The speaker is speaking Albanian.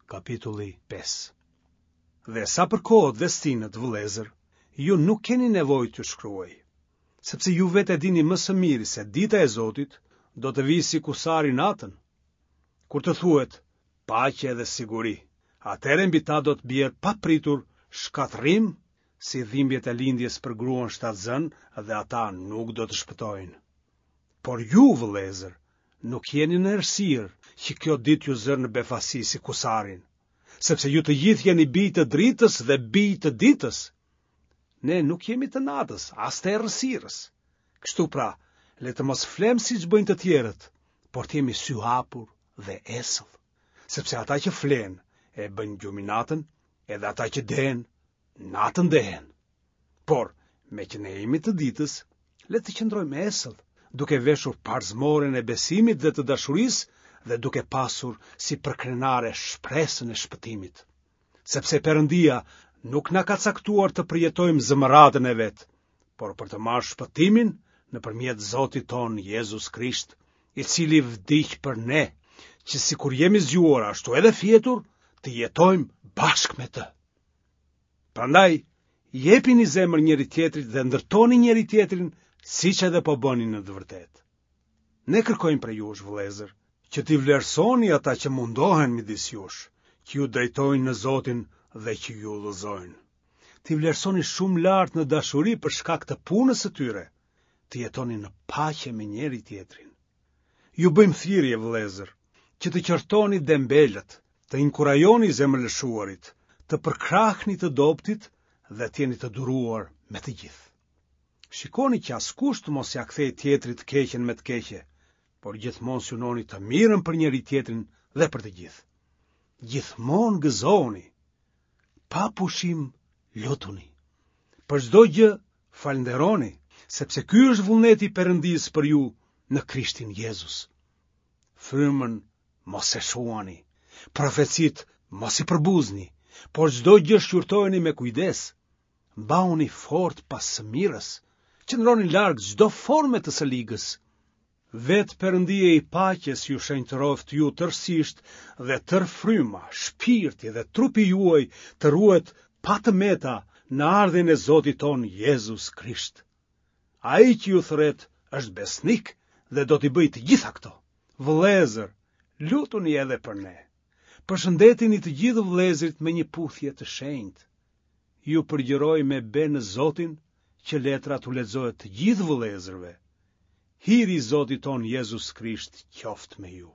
Kapitulli 5. Dhe sa për kohët dhe stinët, vëllezër, ju nuk keni nevojë t'ju shkruaj, sepse ju vetë e dini më së miri se dita e Zotit do të vijë si kusari natën. Kur të thuhet paqe dhe siguri, atëherë mbi ta do të bjerë papritur shkatërrim si dhimbjet e lindjes për gruan shtatzënë dhe ata nuk do të shpëtojnë. Por ju, vëllezër, nuk jeni në errësirë që kjo ditë t'ju zërë në befasi si kusarin, sepse ju të gjithë jeni bij të dritës dhe bij të ditës. Ne nuk jemi të natës, as të errësirës. Kështu pra, le të mos flemë siç bëjnë të tjerët, por të jemi syhapur dhe esëll, sepse ata që flenë e bëjnë gjumin natën, edhe ata që dehen, natën dehen. Por, meqë ne jemi të ditës, le të qëndrojmë esëll, duke veshur parzmoren e besimit dhe të dashurisë dhe duke pasur si përkrenare shpresën e shpëtimit. Sepse Perëndia nuk na ka caktuar të përjetojmë zemëratën e vet, por për të marrë shpëtimin nëpërmjet Zotit tonë Jezus Krisht, i cili vdiq për ne, që sikur jemi zgjuar ashtu edhe fjetur, të jetojmë bashkë me të. Prandaj, jepini zemër njëri-tjetrit dhe ndërtoni njëri-tjetrin siç edhe po bëni në të vërtetë. Ne kërkojmë prej jush, vëllezër, që t'i vlerësoni ata që mundohen midis jush, që ju drejtojnë në Zotin dhe që ju udhëzojnë. T'i vlerësoni shumë lart në dashuri për shkak të punës së tyre, të jetoni në paqe me njëri-tjetrin. Ju bëjmë thirrje, vëllezër, që të qortoni dembelët, të inkurajoni zemërlëshuarit, të përkrahni të dobëtit dhe të jeni të duruar me të gjithë. Shikoni që askush të mos ia kthejë tjetrit të keqen me të keqe, por gjithmonë synoni të mirën për njëri-tjetrin dhe për të gjithë. Gjithmonë gëzohuni, pa pushim lutuni. Për çdo gjë falënderoni, sepse ky është vullneti i Perëndisë për ju në Krishtin Jezus. Frymën mos e shuani, profecitë mos i përbuzni, por çdo gjë shqyrtojeni me kujdes. Mbahuni fort pas së mirës, qëndroni larg çdo forme të së ligës. Vetë Perëndia i paqes ju shenjtëroftë ju tërësisht dhe tërë fryma, shpirti dhe trupi juaj të ruhet pa të meta në ardhjen e Zotit tonë Jezus Krisht. Ai që ju thërret është besnik dhe do t'i bëjë të gjitha këto. Vëllezër, lutuni edhe për ne. Përshëndetini të gjithë vëllezërit me një puthje të shenjtë. Ju përgjëroj me be në Zotin që letra t'u lexohet të gjithë vëllezërve. Hiri i Zotit tonë Jezus Krisht qoftë me ju.